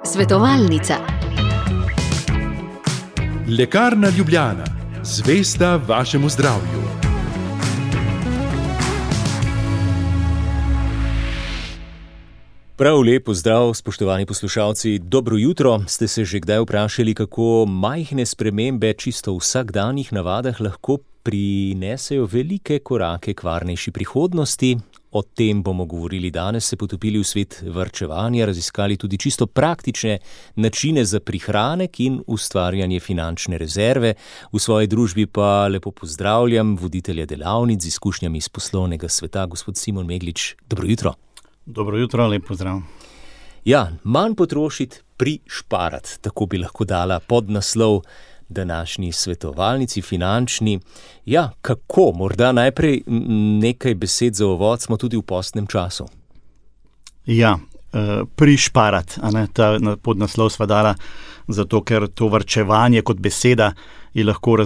Svetovalnica. Lekarna Ljubljana, zvesta vašemu zdravju. Prav lep pozdrav, spoštovani poslušalci. Dobro jutro. Ste se že kdaj vprašali, kako majhne spremembe čisto v vsakdanjih navadah lahko prinesejo velike korake k varnejši prihodnosti? O tem bomo govorili danes, se potopili v svet varčevanja, raziskali tudi čisto praktične načine za prihranek in ustvarjanje finančne rezerve. V svoji družbi pa lepo pozdravljam voditelja delavnic z izkušnjami iz poslovnega sveta, gospod Simon Meglič. Dobro jutro. Dobro jutro, lep pozdrav. Ja, manj potrošiti, prišparati, tako bi lahko dala podnaslov današnji svetovalnici finančni. Ja, kako? Morda najprej nekaj besed za uvod, smo tudi v postnem času. Ja, prišparati, ta podnaslov sva dala, zato ker to varčevanje kot beseda je lahko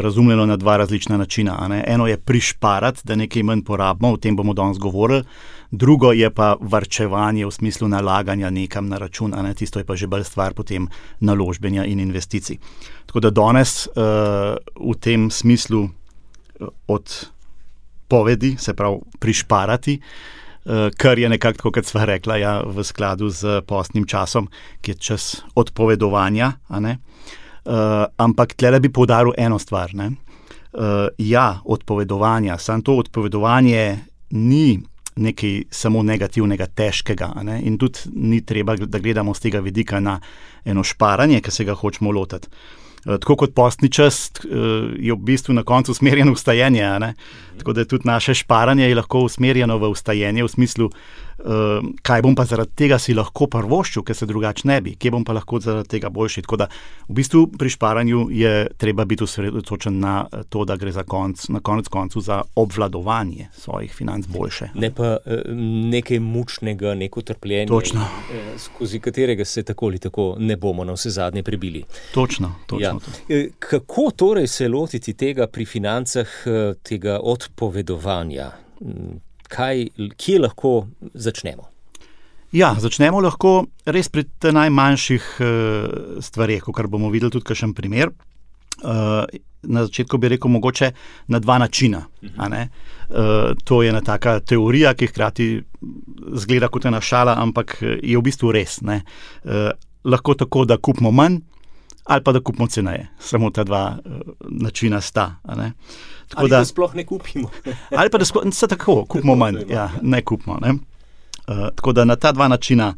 razumljeno na dva različna načina. Eno je prišparati, da nekaj manj porabimo, o tem bomo danes govorili. Drugo je pa varčevanje v smislu nalaganja nekam na račun, tisto je pa že bolj stvar potem naložbenja in investicij. Tako da danes v tem smislu odpovedi, se pravi prišparati, kar je nekako tako, kot sva rekla, ja, v skladu z postnim časom, ki je čas odpovedovanja, ampak tlele bi poudaril eno stvar. Odpovedovanja, samo to odpovedovanje ni nekaj samo negativnega, težkega, in tudi ni treba, da gledamo z tega vidika na eno šparanje, ki se ga hočemo lotiti. Tako kot postni čas je v bistvu na koncu usmerjeno v vstajenje, tako da je tudi naše šparanje je lahko usmerjeno v vstajenje, v smislu, kaj bom pa zaradi tega si lahko privoščil, ker se drugače ne bi, kje bom pa lahko zaradi tega boljši. Tako da v bistvu pri šparanju je treba biti osredotočen na to, da gre na konec koncu za obvladovanje svojih financ boljše. Ne pa nekaj mučnega, neko trpljenje, točno, skozi katerega se tako ali tako ne bomo na vse zadnje prebili. Točno. Ja. Kako torej se lotiti tega pri financah, tega odpovedovanja? Kje lahko začnemo? Ja, začnemo lahko res pri najmanjših stvareh, kar bomo videli tudi kakšen primer. Na začetku bi rekel mogoče na dva načina. To je ena taka teorija, ki hkrati zgleda kot ena šala, ampak je v bistvu res. Lahko tako, da kupimo manj, ali pa da kupimo ceneje. Samo ta dva načina sta. Ali da sploh ne kupimo. Ali pa da se tako, kupimo manj, ne kupimo. Tako da na ta dva načina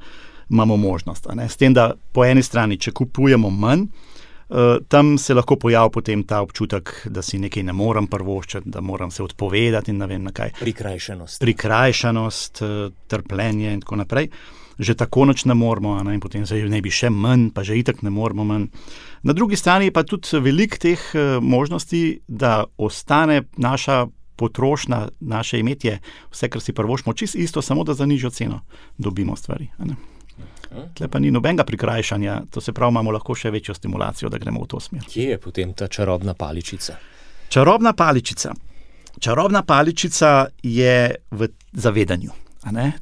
imamo možnost. S tem, da po eni strani, če kupujemo manj, tam se lahko pojavi potem ta občutek, da si nekaj ne morem privoščiti, da moram se odpovedati in ne vem na kaj. Prikrajšanost, trpljenje in tako naprej. Že tako noč ne moramo, in potem se ne bi še manj, pa že itak ne moramo manj. Na drugi strani pa tudi veliko teh možnosti, da ostane naša potrošnja, naše imetje, vse, kar si privoščimo, čisto isto, samo da za nižjo ceno dobimo stvari. Tle pa ni nobenega prikrajšanja, to se pravi, imamo lahko še večjo stimulacijo, da gremo v to smer. Kje je potem ta čarobna paličica? Čarobna paličica je v zavedanju.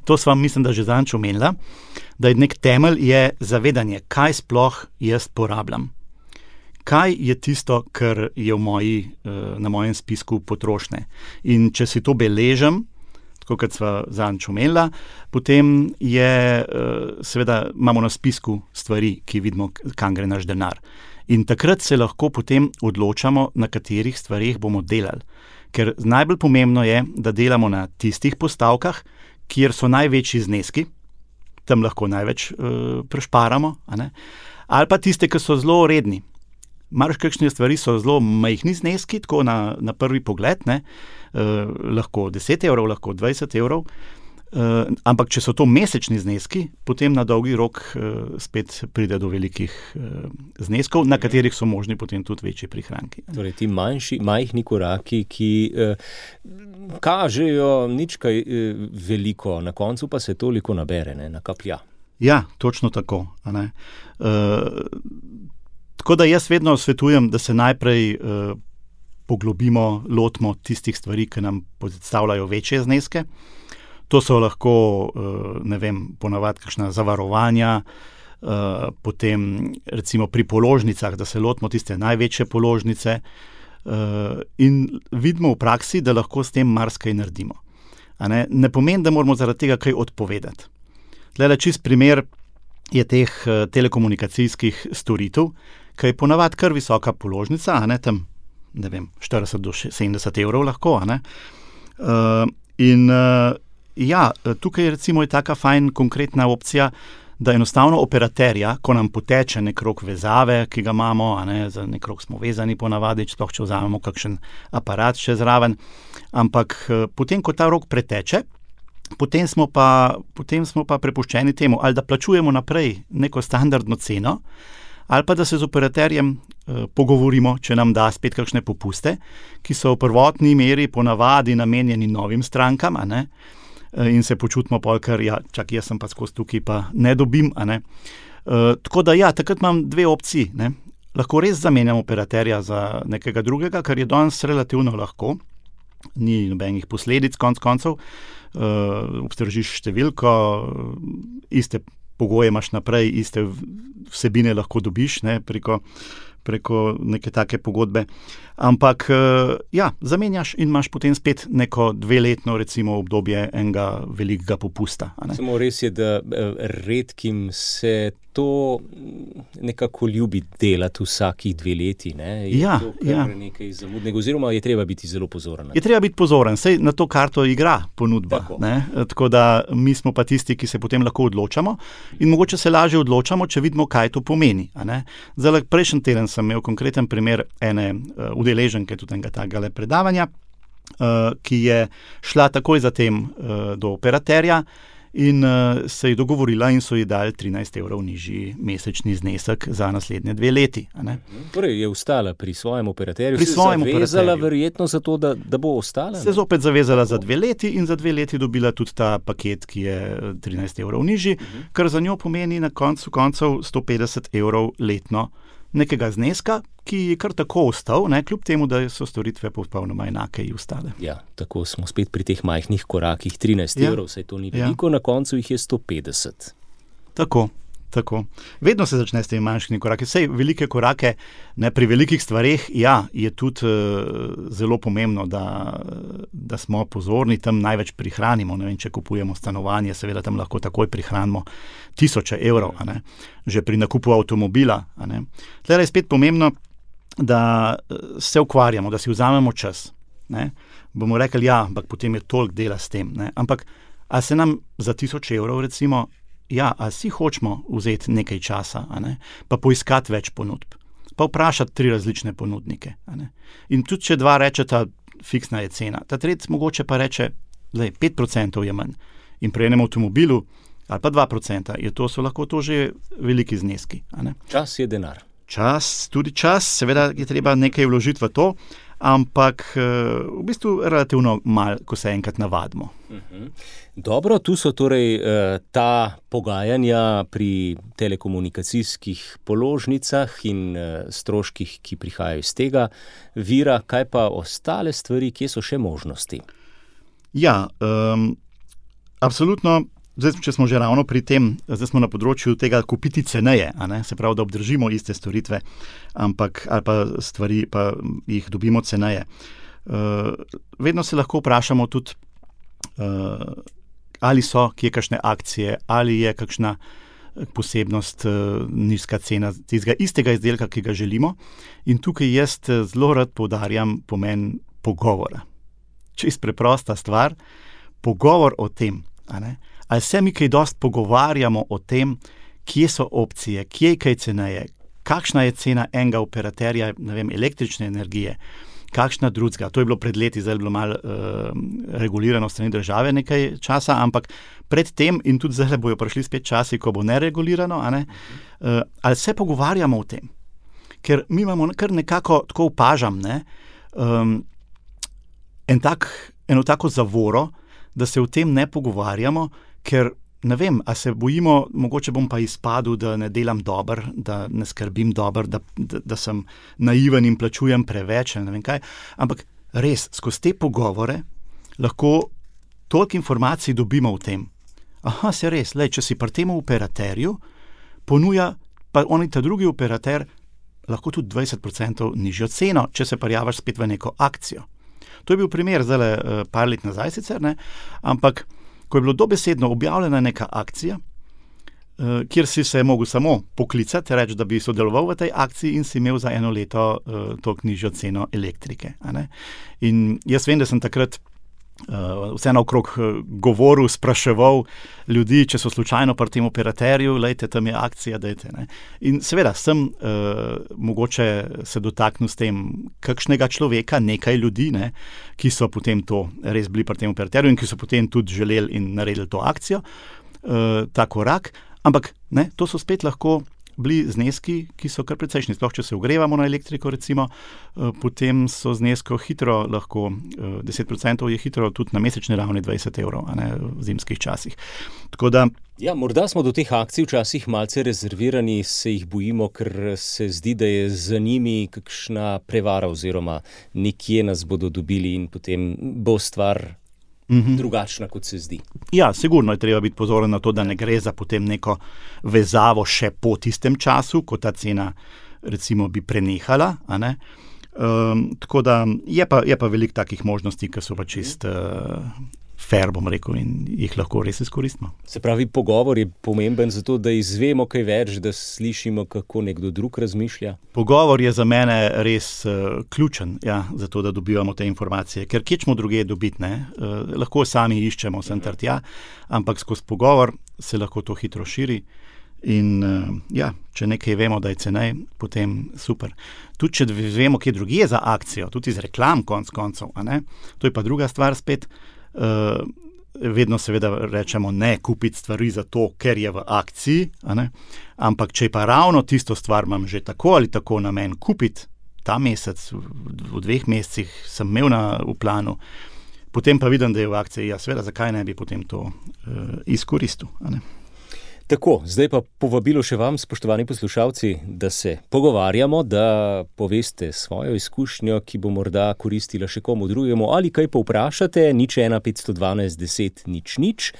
To sva, mislim, da že zadnjič omenila, da je nek temelj je zavedanje, kaj sploh jaz porabljam. Kaj je tisto, kar je na mojem spisku potrošnje. In če si to beležem, tako kot sva zadnjič omenila, potem je, seveda imamo na spisku stvari, ki vidimo, kam gre naš denar. In takrat se lahko potem odločamo, na katerih stvarih bomo delali. Ker najbolj pomembno je, da delamo na tistih postavkah, kjer so največji zneski, tam lahko največ prešparamo, ali pa tiste, ki so zelo redni. Marsikakšne stvari so zelo majhni zneski, tako na prvi pogled, lahko 10 evrov, lahko 20 evrov, ampak če so to mesečni zneski, potem na dolgi rok spet pride do velikih zneskov, na katerih so možni potem tudi večji prihranki. Torej ti majhni koraki, ki kažejo nič kaj veliko, na koncu pa se toliko nabere, nakaplja. Ja, točno tako. Tako da jaz vedno svetujem, da se najprej poglobimo, lotimo tistih stvari, ki nam predstavljajo večje zneske. To so lahko, ponavadi kakšna zavarovanja, potem recimo pri položnicah, da se lotimo tiste največje položnice, in vidimo v praksi, da lahko s tem marsikaj naredimo. Ne pomeni, da moramo zaradi tega kaj odpovedati. Tlele čist primer je teh telekomunikacijskih storitev, ki je ponavadi kar visoka položnica, tam 40 do 70 evrov lahko. Tukaj recimo je taka fajn konkretna opcija, da enostavno operaterja, ko nam poteče nek rok vezave, ki ga imamo, za nek rok smo vezani ponavadi, sploh če vzamemo kakšen aparat še zraven, ampak potem, ko ta rok preteče, potem smo pa prepuščeni temu, ali da plačujemo naprej neko standardno ceno, ali pa da se z operaterjem pogovorimo, če nam da spet kakšne popuste, ki so v prvotni meri ponavadi namenjeni novim strankam, in se počutimo pol, ker čak jaz sem pa skozi tukaj, pa ne dobim. Tako da takrat imam dve opciji. Lahko res zamenjam operaterja za nekega drugega, kar je danes relativno lahko, ni nobenih posledic konc koncev, obstržiš številko, iste pogoje imaš naprej, iste vsebine lahko dobiš preko neke take pogodbe. Ampak zamenjaš in imaš potem spet neko 2-letno recimo obdobje enega velikega popusta. Samo res je, da redkim se to nekako ljubi delati vsakih 2 leti. To kar nekaj zamudnega, oziroma je treba biti zelo pozoren. Je treba biti pozoren, saj na to karto igra ponudba. Tako da mi smo pa tisti, ki se potem lahko odločamo in mogoče se lažje odločamo, če vidimo, kaj to pomeni. Zdaj, prejšnji teden sem imel konkreten primer ene udeleženke tudi enega takega predavanja, ki je šla takoj zatem do operaterja in se je dogovorila in so ji dali 13 evrov nižji mesečni znesek za naslednje 2 leti. Torej je ostala pri svojem operaterju, zavezala verjetno za to, da bo ostala? Se zopet zavezala za 2 leti in za 2 leti dobila tudi ta paket, ki je 13 evrov nižji, kar za njo pomeni na koncu koncev 150 evrov letno nekega zneska, ki je kar tako ostal, kljub temu, da so storitve popolnoma enake in ostale. Tako smo spet pri teh majhnih korakih, 13 evrov, saj to ni veliko, na koncu jih je 150. Tako. Vedno se začne s temi manjšimi koraki. Sej velike korake, pri velikih stvareh, je tudi zelo pomembno, da smo pozorni, tam največ prihranimo. Če kupujemo stanovanje, seveda tam lahko takoj prihranimo 1000 evrov, že pri nakupu avtomobila. Tlele je spet pomembno, da se ukvarjamo, da si vzamemo čas. Bomo rekli, ampak potem je toliko dela s tem. Ampak, a se nam za 1000 evrov recimo a si hočemo vzeti nekaj časa, pa poiskati več ponudb, pa vprašati 3 različne ponudnike. In tudi, če 2 rečeta, fiksna je cena, ta tretji mogoče pa reče, 5% je manj. In pri enem avtomobilu, ali pa 2%, so lahko to že veliki zneski. Čas je denar. Tudi čas, seveda je treba nekaj vložiti v to, ampak v bistvu relativno malo, ko se enkrat navadimo. Dobro, tu so torej ta pogajanja pri telekomunikacijskih položnicah in stroških, ki prihajajo iz tega vira. Kaj pa ostale stvari, kje so še možnosti? Absolutno. Zdaj, če smo že ravno pri tem, zdaj smo na področju tega kupiti ceneje, se pravi, da obdržimo iste storitve, ali pa stvari, pa jih dobimo ceneje. Vedno se lahko vprašamo tudi, ali so kje kakšne akcije, ali je kakšna posebnost, nizka cena tistega istega izdelka, ki ga želimo. In tukaj jaz zelo rad poudarjam pomen pogovora. Čisto preprosta stvar, pogovor o tem, ali se mi kaj dosti pogovarjamo o tem, kje so opcije, kje je kaj ceneje, kakšna je cena enega operaterja, električne energije, kakšna drugega. To je bilo pred leti, zdaj je bilo malo regulirano strani države nekaj časa, ampak pred tem in tudi zdaj bojo prišli spet časi, ko bo neregulirano, ali se pogovarjamo o tem. Ker mi imamo kar nekako, tako opažam, eno tako zavoro, da se o tem ne pogovarjamo, ker ne vem, a se bojimo, mogoče bom pa izpadel, da ne delam dobro, da ne skrbim dobro, da sem naiven in plačujem preveč, ne vem kaj. Ampak res, skozi te pogovore lahko toliko informacij dobimo v tem. Aha, se res, če si pri tem operaterju ponuja, pa oni ta drugi operater lahko tudi 20% nižjo ceno, če se prijavaš spet v neko akcijo. To je bil primer zdaj par let nazaj sicer, ne? Ampak ko je bilo dobesedno objavljena neka akcija, kjer si se mogel samo poklicati, reči, da bi sodeloval v tej akciji in si imel za 1 leto toliko nižjo ceno elektrike. A ne? In jaz vem, da sem takrat vseeno okrog govoril, spraševal ljudi, če so slučajno pri tem operaterju, lejte, tam je akcija, dajte. Ne? In seveda sem mogoče se dotaknil s tem kakšnega človeka, nekaj ljudi, ne, ki so potem to res bili pri tem operaterju in ki so potem tudi želeli in naredili to akcijo, ta korak, ampak ne, to so spet lahko bili zneski, ki so kar precejšnji. Sploh, če se ogrevamo na elektriko, recimo, potem so znesko hitro lahko, 10% je hitro tudi na mesečni ravni 20 €, a ne, v zimskih časih. Tako da... Ja, morda smo do teh akcij včasih malce rezervirani, se jih bojimo, ker se zdi, da je za njimi kakšna prevara oziroma nekje nas bodo dobili in potem bo stvar drugačna, kot se zdi. Ja, sigurno je treba biti pozoren na to, da ne gre za potem neko vezavo še po tistem času, ko ta cena recimo bi prenehala, a ne. Tako da je pa veliko takih možnosti, ki so pa čist fair, bom rekel, in jih lahko res izkoristimo. Se pravi, pogovor je pomemben zato, da izvemo kaj več, da slišimo, kako nekdo drug razmišlja? Pogovor je za mene res ključen, ja, zato, da dobivamo te informacije, ker kje smo drugje dobiti, ne? Lahko sami iščemo sem ter tja, ampak skozi pogovor se lahko to hitro širi in ja, če nekaj vemo, da je cenej, potem super. Tudi, če vemo, kje drugje za akcijo, tudi iz reklam konc koncev, a ne? To je pa druga stvar spet. Vedno seveda rečemo ne kupiti stvari zato, ker je v akciji, a ne? Ampak če pa ravno tisto stvar imam že tako ali tako namen kupiti ta mesec, v 2 mesecih sem imel v planu, potem pa vidim, da je v akciji, ja seveda, zakaj ne bi potem to izkoristil, a ne? Tako, zdaj pa povabilo še vam, spoštovani poslušalci, da se pogovarjamo, da poveste svojo izkušnjo, ki bo morda koristila še komu drugemu, ali kaj povprašate, 01512 10 00.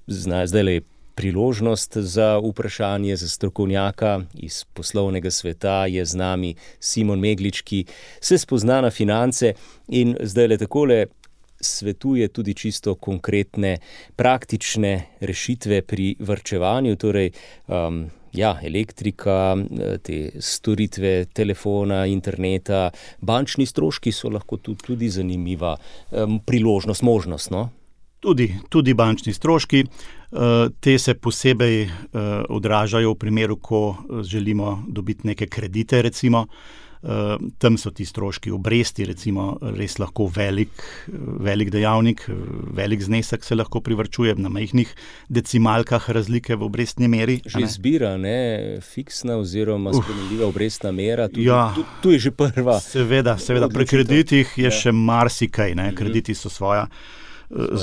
Zdajle je priložnost za vprašanje za strokovnjaka iz poslovnega sveta, je z nami Simon Meglič, ki se spozna na finance in zdajle takole svetuje tudi čisto konkretne, praktične rešitve pri varčevanju, torej elektrika, te storitve telefona, interneta, bančni stroški so lahko tudi zanimiva priložnost, možnost, no? Tudi bančni stroški, te se posebej odražajo v primeru, ko želimo dobiti neke kredite, recimo. Tam so ti stroški obresti, recimo, res lahko velik dejavnik, velik znesek se lahko privarčuje na majhnih decimalkah razlike v obrestni meri. Že izbira, ne, fiksna oziroma spremenljiva obrestna mera, tu je že prva. Seveda, pri kreditih je še marsikaj, ne, krediti so svoja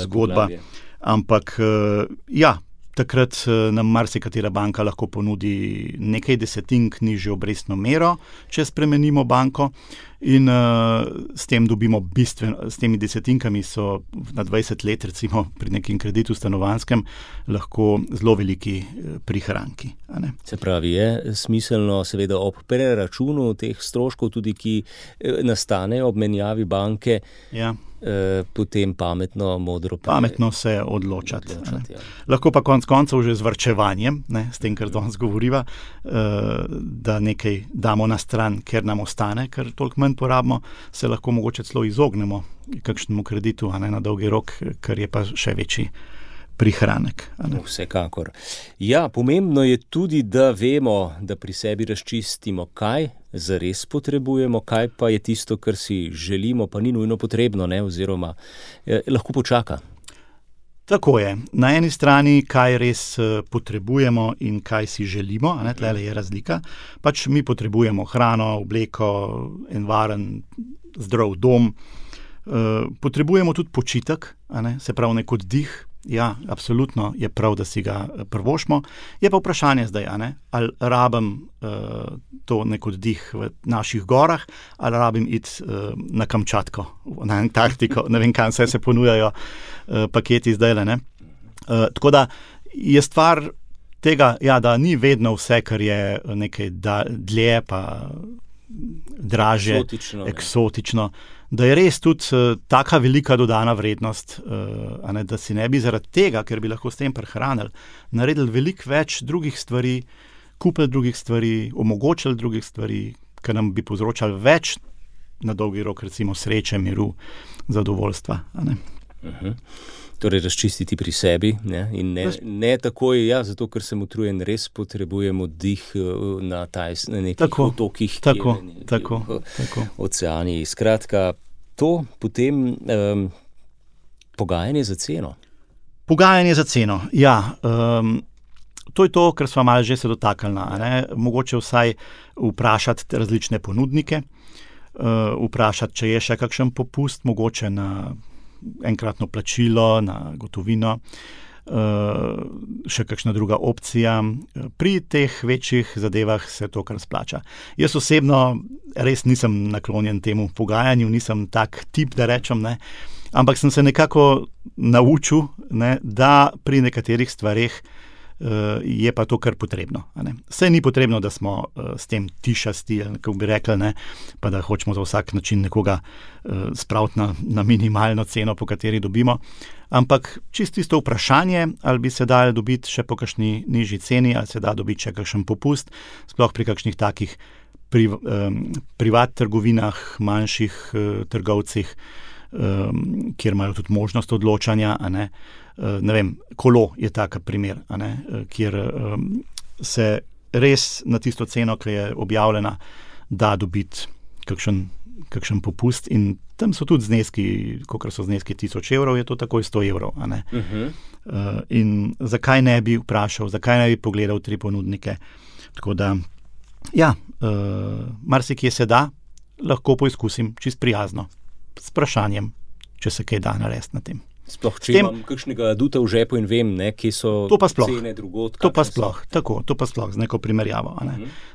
zgodba, ampak takrat nam marsikatera banka lahko ponudi nekaj desetink nižjo obrestno mero, če spremenimo banko in s tem dobimo s temi desetinkami so na 20 let, recimo pri nekem kreditu stanovanjskem, lahko zelo veliki prihranki. A ne? Se pravi, je smiselno seveda ob preračunu teh stroškov tudi, ki nastanejo ob menjavi banke, potem pametno se odločati. Lahko pa konec koncev že z varčevanjem, ne, s tem, kar danes govoriva, da nekaj damo na stran, ker nam ostane, ker toliko manj porabimo, se lahko mogoče celo izognemo kakšnemu kreditu, a ne, na dolgi rok, ker je pa še večji prihranek. Vsekakor. Ja, pomembno je tudi, da vemo, da pri sebi razčistimo, kaj zares potrebujemo, kaj pa je tisto, kar si želimo, pa ni nujno potrebno, ne, oziroma lahko počaka. Tako je. Na eni strani, kaj res potrebujemo in kaj si želimo, a ne, tlele je razlika. Pač mi potrebujemo hrano, obleko, en varen, zdrav dom. Potrebujemo tudi počitek, a ne, se pravi nek oddih. ja, absolutno je prav, da si ga privoščimo. Je pa vprašanje zdaj, ali rabim to nek oddih v naših gorah, ali rabim iti na Kamčatko, na Antarktiko, ne vem, kam se ponujajo paketi zdaj, ne. Tako da je stvar tega, ja, da ni vedno vse, kar je nekaj dlje, pa dražje, eksotično, da je res tudi taka velika dodana vrednost, da si ne bi zaradi tega, ker bi lahko s tem prehranili, naredili veliko več drugih stvari, kupili drugih stvari, omogočili drugih stvari, ker nam bi povzročali več na dolgi rok, recimo sreče, miru, zadovoljstva. Torej razčistiti pri sebi, ne? In ne takoj, ja, zato ker sem utrujen, res potrebujem oddih na nekih otokih, tako. Oceani. Skratka, to potem pogajanje za ceno. Pogajanje za ceno, ja. To je to, kar sva malo že se dotaknila. Mogoče vsaj vprašati različne ponudnike, vprašati, če je še kakšen popust, mogoče na enkratno plačilo, na gotovino, še kakšna druga opcija. Pri teh večjih zadevah se to kar splača. Jaz osebno res nisem naklonjen temu pogajanju, nisem tak tip, da rečem, ne, ampak sem se nekako naučil, ne, da pri nekaterih stvareh je pa to kar potrebno. Saj ni potrebno, da smo s tem tišasti, kako bi rekli, ne, pa da hočemo za vsak način nekoga spraviti na minimalno ceno, po kateri dobimo, ampak čisto vprašanje, ali bi se dalo dobiti še po kakšni nižji ceni, ali se da dobiti še kakšen popust, sploh pri kakšnih takih privat trgovinah, manjših trgovcih, kjer imajo tudi možnost odločanja, ne vem, Kolo je tak primer, kjer se res na tisto ceno, ki je objavljena, da dobiti kakšen popust, in tam so tudi zneski, kolikor so zneski 1000 evrov, je to takoj 100 evrov. In zakaj ne bi vprašal, zakaj ne bi pogledal 3 ponudnike. Tako da, ja, marsikje se da, lahko poizkusim čisto prijazno, s vprašanjem, če se kaj da narediti na tem. Sploh, če imam kakšnega aduta v žepu in vem, ne, kje so cene drugod. To pa sploh, z neko primerjavo.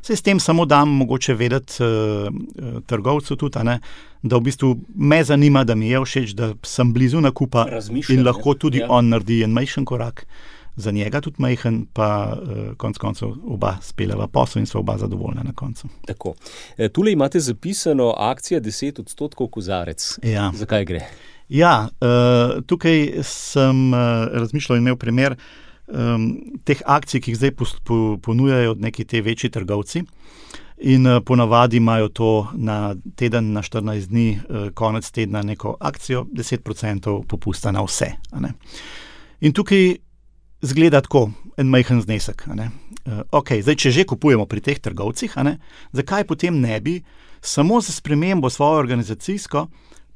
Saj s tem samo dam mogoče vedeti trgovcu tudi, da v bistvu me zanima, da mi je všeč, da sem blizu nakupa in lahko tudi on naredi en majhen korak za njega, tudi majhen, pa konec koncev oba speljeva posel in sva oba zadovoljna na koncu. Tako. Tule imate zapisano akcija 10% kozarec. Ja. Zakaj gre? Ja, tukaj sem razmišljal in imel primer teh akcij, ki jih zdaj ponujajo neki te večji trgovci, in ponavadi imajo to na teden, na 14 dni, konec tedna neko akcijo, 10% popusta na vse. In tukaj zgleda tako, en majhen znesek. Zdaj, če že kupujemo pri teh trgovcih, zakaj potem ne bi samo za spremembo svojo organizacijsko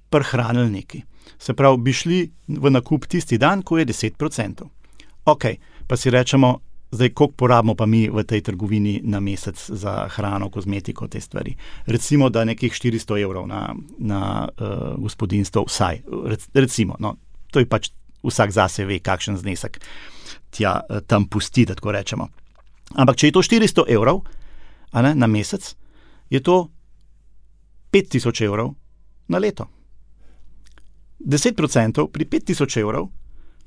prihranili neki? Se pravi, bi šli v nakup tisti dan, ko je 10%. Pa si rečemo, zdaj, koliko porabimo pa mi v tej trgovini na mesec za hrano, kozmetiko, te stvari. Recimo, da nekih 400 evrov na gospodinjstvo vsaj. Recimo, no, to je pač vsak zase ve, kakšen znesek tam pusti, da tako rečemo. Ampak, če je to 400 evrov na mesec, je to 5000 evrov na leto. 10% pri 5000 evrov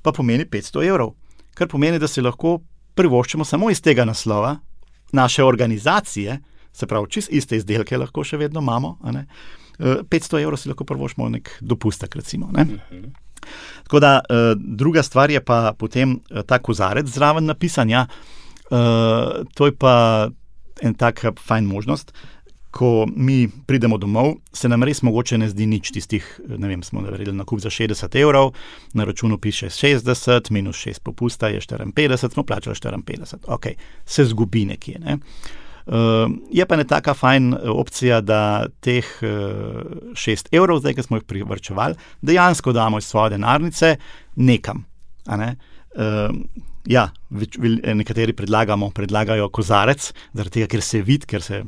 pa pomeni 500 evrov, kar pomeni, da si lahko privoščimo samo iz tega naslova naše organizacije, se pravi, čist iste izdelke lahko še vedno imamo, 500 evrov si lahko privoščimo nek dopustek, recimo. Tako da, druga stvar je pa potem ta kozarec zraven napisanja. To je pa en tak fajn možnost. Ko mi pridemo domov, se nam res mogoče ne zdi nič tistih, ne vem, smo naredili nakup za 60 evrov, na računu piše 60, minus 6 popusta je 54, smo plačali 54. Se zgubi nekje, ne. Je pa ne taka fajn opcija, da teh 6 evrov, zdaj, ki smo jih privarčevali, dejansko damo iz svoje denarnice nekam. Nekateri predlagajo kozarec, zaradi tega, ker se vidi, ker se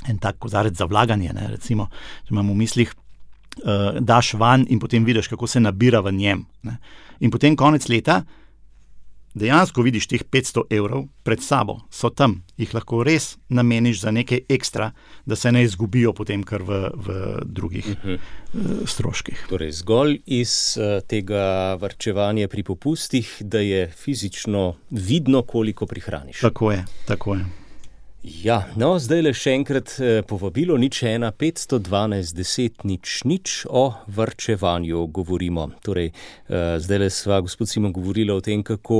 en tak kozarec za vlaganje, recimo, če imamo v mislih, daš van in potem vidiš, kako se nabira v njem. In potem konec leta dejansko vidiš teh 500 evrov pred sabo, so tam, jih lahko res nameniš za nekaj ekstra, da se ne izgubijo potem kar v drugih stroških. Torej, zgolj iz tega varčevanja pri popustih, da je fizično vidno, koliko prihraniš. Tako je. Ja, no, zdaj le še enkrat povabilo 01 512 10 00 o varčevanju govorimo. Torej, zdaj le sva gospod Simon govorila o tem, kako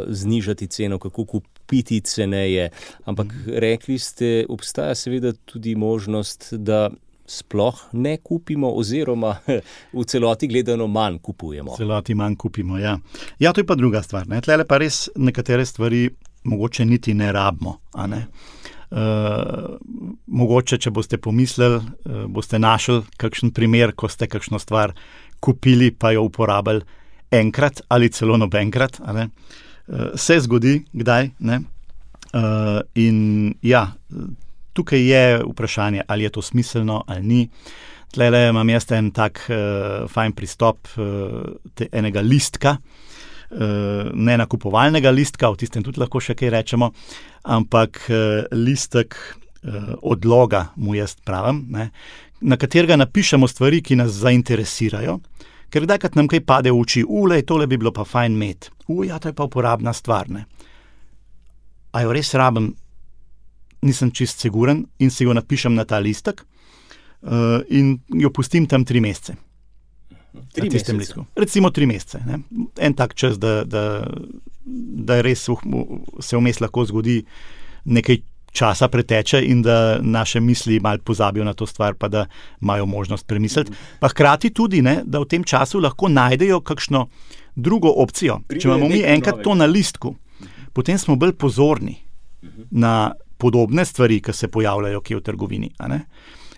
znižati ceno, kako kupiti ceneje, ampak rekli ste, obstaja seveda tudi možnost, da sploh ne kupimo oziroma v celoti gledano manj kupujemo. V celoti manj kupimo, ja. Ja, to je pa druga stvar, ne. Tlele pa res nekatere stvari mogoče niti ne rabimo, a ne. Mogoče, če boste pomislili, boste našli kakšen primer, ko ste kakšno stvar kupili, pa jo uporabili enkrat ali celo nobenkrat, a ne. Se zgodi, kdaj, ne. In ja, tukaj je vprašanje, ali je to smiselno ali ni. Tlele imam jaz en tak fajn pristop enega listka, ne nakupovalnega listka, v tistem tudi lahko še kaj rečemo, ampak listek odloga mu jaz pravim, ne, na katerega napišemo stvari, ki nas zainteresirajo, ker kdajkrat nam kaj pade v oči, tole bi bilo pa fajn imeti, ja, to je pa uporabna stvar, ne. A jo res rabim, nisem čist siguren in si jo napišem na ta listek in jo pustim tam 3 mesece. 3 mesece. Recimo 3 mesece. Ne? En tak čas, da res se vmes lahko zgodi nekaj časa preteče in da naše misli malo pozabijo na to stvar, pa da imajo možnost premisliti. Pa hkrati tudi, ne, da v tem času lahko najdejo kakšno drugo opcijo. Če imamo mi enkrat to na listku, potem smo bolj pozorni na podobne stvari, ki se pojavljajo kje v trgovini, a ne?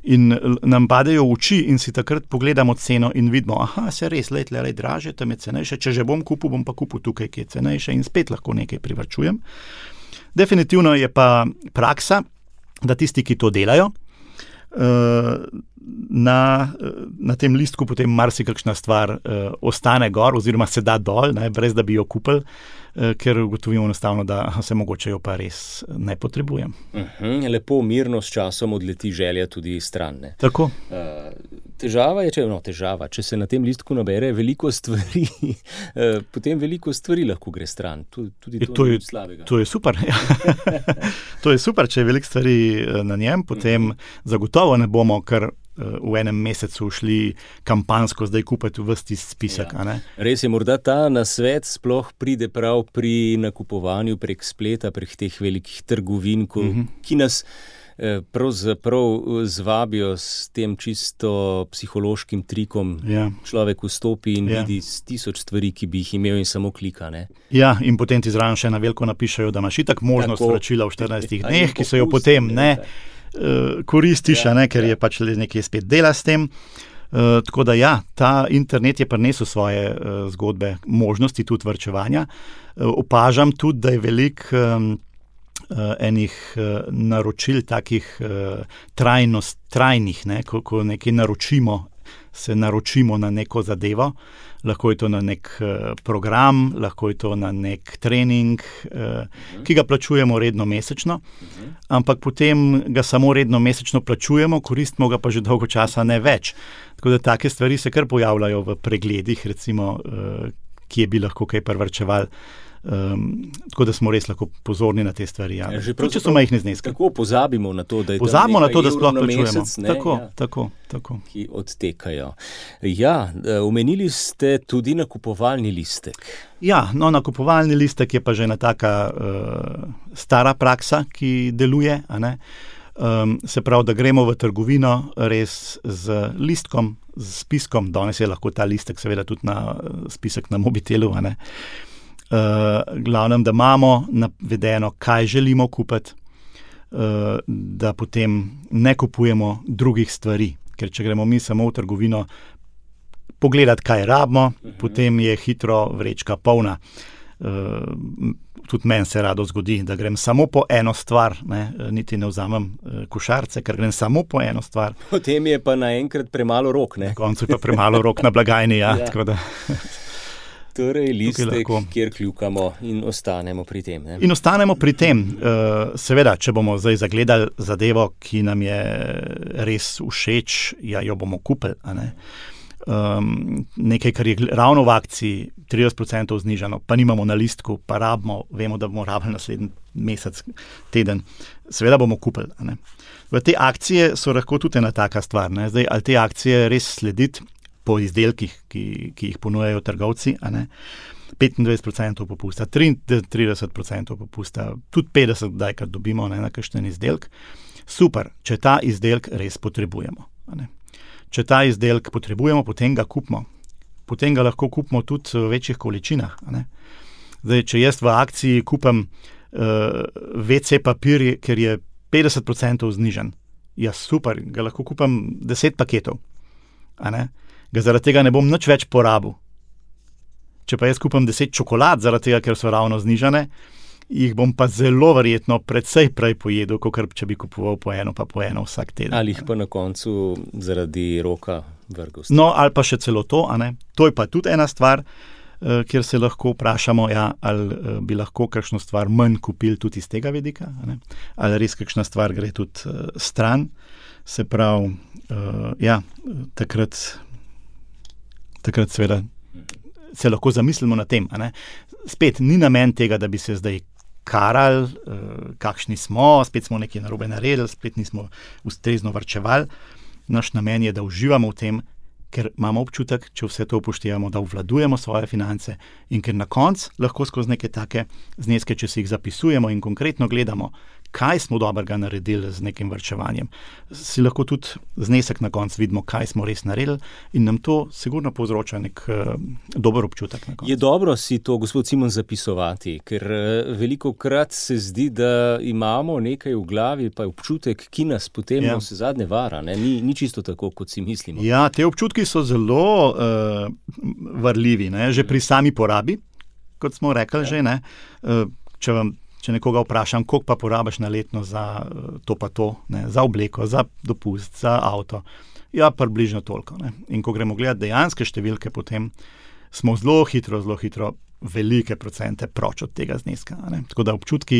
In nam padejo v oči in si takrat pogledamo ceno in vidimo, se res, tle dražje, tam je cenejše, če že bom pa kupil tukaj, ki je cenejše in spet lahko nekaj privarčujem. Definitivno je pa praksa, da tisti, ki to delajo, na tem listku potem marsikakšna stvar ostane gor oziroma se da dol, ne, brez da bi jo kupili, ker ugotovimo enostavno, da se mogoče jo pa res ne potrebujem. Lepo, mirno s časom odleti želja tudi stran. Ne? Tako. Težava je, če se na tem listku nabere veliko stvari, potem veliko stvari lahko gre stran. Tudi to ni slabega. To je super. To je super, če je veliko stvari na njem, potem zagotovo ne bomo kar v enem mesecu šli kampanjsko zdaj kupiti v vsti spisek. Ja. Res je, morda ta nasvet sploh pride prav pri nakupovanju prek spleta, prek teh velikih trgovin, ki nas pravzaprav zvabijo s tem čisto psihološkim trikom. Ja. Človek vstopi in vidi 1000 stvari, ki bi jih imel in samo klika. Ne? Ja, in potem ti zraven še na veliko napišajo, da imaš itak možnost vračila v 14 dneh, ki so jo potem koristiš, ker je pač nekaj spet dela s tem. Tako da ja, ta internet je prinesel svoje zgodbe, možnosti tudi varčevanja. Opažam tudi, da je veliko enih naročil takih trajnih, ne, ko nekaj naročimo, se naročimo na neko zadevo, lahko je to na nek program, lahko je to na nek trening, ki ga plačujemo redno mesečno, ampak potem ga samo redno mesečno plačujemo, koristimo ga pa že dolgo časa ne več. Tako da take stvari se kar pojavljajo v pregledih, recimo, kje bi lahko kaj privarčevali. Tako da smo res lahko pozorni na te stvari. Ja. Če so majhne zneske. Tako pozabimo na to, da je pozabimo na to, da sploh plačujemo. Tako. Ki odtekajo. Ja, omenili ste tudi nakupovalni listek. Ja, nakupovalni listek je pa že ena taka stara praksa, ki deluje, a ne. Se pravi, da gremo v trgovino res z listkom, z spiskom, danes je lahko ta listek seveda tudi na spisek na mobitelu, a ne. Glavnem, da imamo navedeno, kaj želimo kupiti, da potem ne kupujemo drugih stvari, ker če gremo mi samo v trgovino pogledati, kaj rabimo, potem je hitro vrečka polna. Tudi meni se rado zgodi, da grem samo po eno stvar, ne, niti ne vzamem košarce, ker grem samo po eno stvar. Potem je pa naenkrat premalo rok, ne? Na koncu je pa premalo rok na blagajni, ja. Tako da. Torej, listek, kjer kljukamo in ostanemo pri tem. Ne? In ostanemo pri tem. Seveda, če bomo zdaj zagledali zadevo, ki nam je res všeč, jo bomo kupili. A ne? Nekaj, kar je ravno v akciji, 30% znižano, pa nimamo na listku, pa rabimo, vemo, da bomo rabili naslednji mesec, teden. Seveda bomo kupili. A ne? V te akcije so lahko tudi ena taka stvar. Ne? Zdaj, ali te akcije res slediti po izdelkih, ki jih ponujajo trgovci, a ne? 25% popusta, 30% popusta, tudi 50%, daj, kar dobimo, ne, na kakšen izdelek. Super, če ta izdelek res potrebujemo. A ne? Če ta izdelek potrebujemo, potem ga kupimo. Potem ga lahko kupimo tudi v večjih količinah. A ne? Zdaj, če jaz v akciji kupim WC papir, ker je 50% znižen, ja super, ga lahko kupim 10 paketov. A ne? Ga zaradi tega ne bom nič več porabil. Če pa jaz kupim 10 čokolad, zaradi tega, ker so ravno znižane, jih bom pa zelo verjetno precej prej pojedel, kot če bi kupoval po eno vsak teden. Ali jih pa na koncu zaradi roka vrgel. No, ali pa še celo to, a ne? To je pa tudi ena stvar, kjer se lahko vprašamo, ali bi lahko kakšno stvar manj kupili tudi iz tega vidika, a ne? Ali res kakšna stvar gre tudi stran. Se pravi, takrat seveda se lahko zamislimo na tem. A ne? Spet ni namen tega, da bi se zdaj karali, kakšni smo, spet smo nekaj narobe naredili, spet nismo ustrezno varčevali. Naš namen je, da uživamo v tem, ker imamo občutek, če vse to upoštevamo, da obvladujemo svoje finance in ker na koncu lahko skozi neke take zneske, če si jih zapisujemo in konkretno gledamo, kaj smo dobrega naredili z nekim varčevanjem, si lahko tudi znesek na koncu vidimo, kaj smo res naredili in nam to sigurno povzroča nek dober občutek na koncu. Je dobro si to, gospod Simon, zapisovati, ker velikokrat se zdi, da imamo nekaj v glavi, pa je občutek, ki nas potem vse zadnje vara. Ne? Ni čisto tako, kot si mislimo. Ja, te občutki so zelo varljivi, ne? Že pri sami porabi, kot smo rekli že, ne? Če nekoga vprašam, koliko pa porabiš na letno za to pa to, ne, za obleko, za dopust, za avto, ja, približno toliko. Ne. In ko gremo gledati dejanske številke, potem smo zelo hitro velike procente proč od tega zneska. Ne. Tako da občutki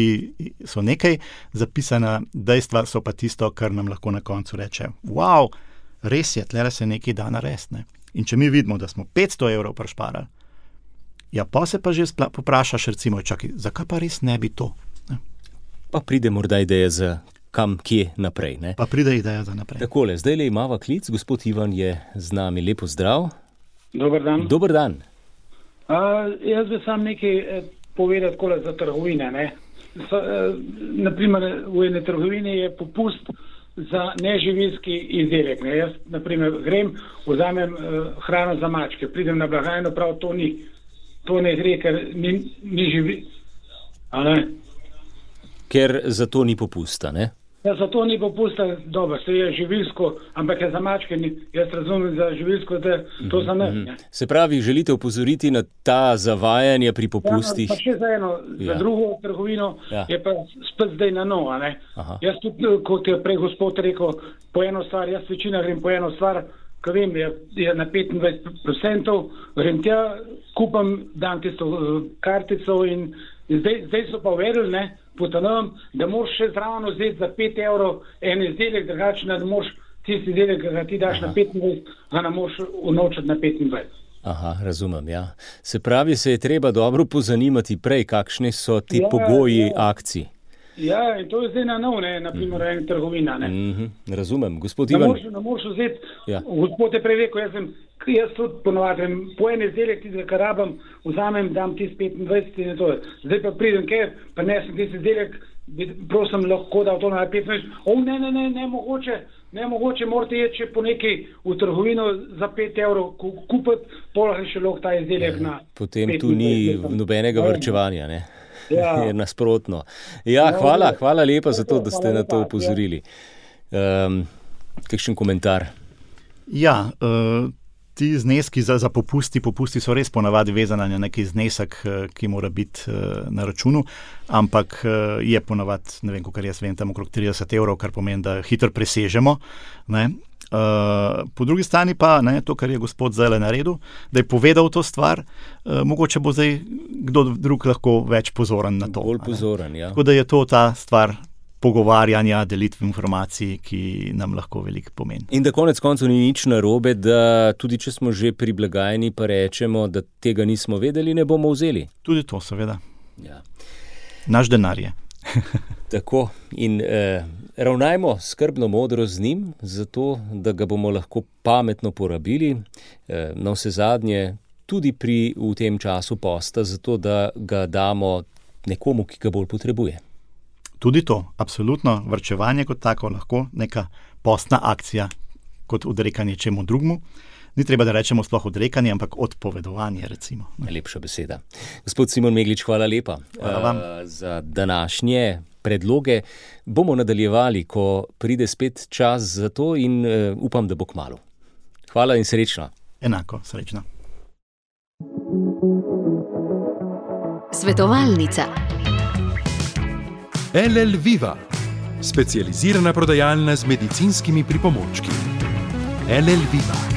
so nekaj, zapisana dejstva so pa tisto, kar nam lahko na koncu reče, wow, res je, tlele se nekaj da narediti. Ne. In če mi vidimo, da smo 500 evrov prišparali, ja, pa se pa že poprašaš, recimo, čakaj, zakaj pa res ne bi to? Ne? Pa pride morda ideja za kam, kje naprej, ne? Pa pride ideja za naprej. Takole, zdajle imava klic, gospod Ivan je z nami, lepo zdrav. Dober dan. Dober dan. Jaz bi sam nekaj povedal takole za trgovine, ne? Naprimer, v ene trgovini je popust za neživilski izdelek, ne? Jaz, naprimer, grem, vzamem hrano za mačke, pridem na blagajno, prav to ne gre, ker ni živi. A ne? Ker za to ni popusta, ne? Ja, za to ni popusta, dobro, se je živilsko, ampak je za mačke, jaz razumem za živilsko, da to za ne. Se pravi, želite opozoriti na ta zavajanje pri popustih? Ja, pa še za eno, za drugo trgovino je pa spet zdaj na novo, ne? Aha. Jaz tudi, kot je prej gospod rekel, po eno stvar, jaz večina grem po eno stvar, ko vem, je na 25%, grem tja, kupam, dam tisto kartico in zdaj so pa uvedli, ne, potanujem, da moraš še zravno vzeti za 5 evrov en izdelek, drugače da moraš tisti izdelek, ki ga ti daš na 25, ga ne moraš unovčiti na 25. Aha, razumem, ja. Se pravi, se je treba dobro pozanimati prej, kakšni so ti pogoji akcij. Ja, in to je zdaj na nov, ne, naprimer, ena trgovina, ne. Razumem, gospod Ivan. Ne moraš vzeti, gospod je prej rekel, jaz tudi ponovadem, po en izdelek, tistega, kar rabim, vzamem, dam tisti 25 in to. Zdaj pa pridem, pa nesem tisti izdelek, prosim, lahko da to na 25. Ne, mogoče, morate jeti še po nekaj v trgovino za 5 evrov kupiti, polah še lahko ta izdelek na 25. Potem tu ni nobenega varčevanja, ne? Ja. Je nasprotno. Ja, hvala lepa za to, da ste na to upozorili. Kakšen komentar? Ja, ti zneski za popusti so res ponavadi vezani na neki znesek, ki mora biti na računu, ampak je ponavadi, ne vem, kakor jaz vem, tam okrog 30 evrov, kar pomeni, da hitro presežemo, ne? Po drugi strani pa, to, kar je gospod zdaj naredil, da je povedal to stvar, mogoče bo zdaj kdo drug lahko več pozoren na to. Bolj pozoren, ja. Tako da je to ta stvar pogovarjanja, delitve informacij, ki nam lahko veliko pomeni. In da konec koncev ni nič narobe, da tudi če smo že pri blagajni, pa rečemo, da tega nismo vedeli, ne bomo vzeli. Tudi to, seveda. Ja. Naš denar je. Tako. In ravnajmo skrbno modro z njim, zato da ga bomo lahko pametno porabili, na vse zadnje tudi v tem času posta, zato da ga damo nekomu, ki ga bolj potrebuje. Tudi to, absolutno, varčevanje kot tako lahko neka postna akcija, kot odrekanje čemu drugmu. Ni treba, da rečemo sploh odrekanje, ampak odpovedovanje, recimo. Lepša beseda. Gospod Simon Meglič, hvala lepa. Hvala vam. Za današnje predloge. Bomo nadaljevali, ko pride spet čas za to in upam, da bo kmalu. Hvala in srečno. Enako, srečno. Svetovalnica. LL Viva, specializirana prodajalna z medicinskimi pripomočki. LL Viva.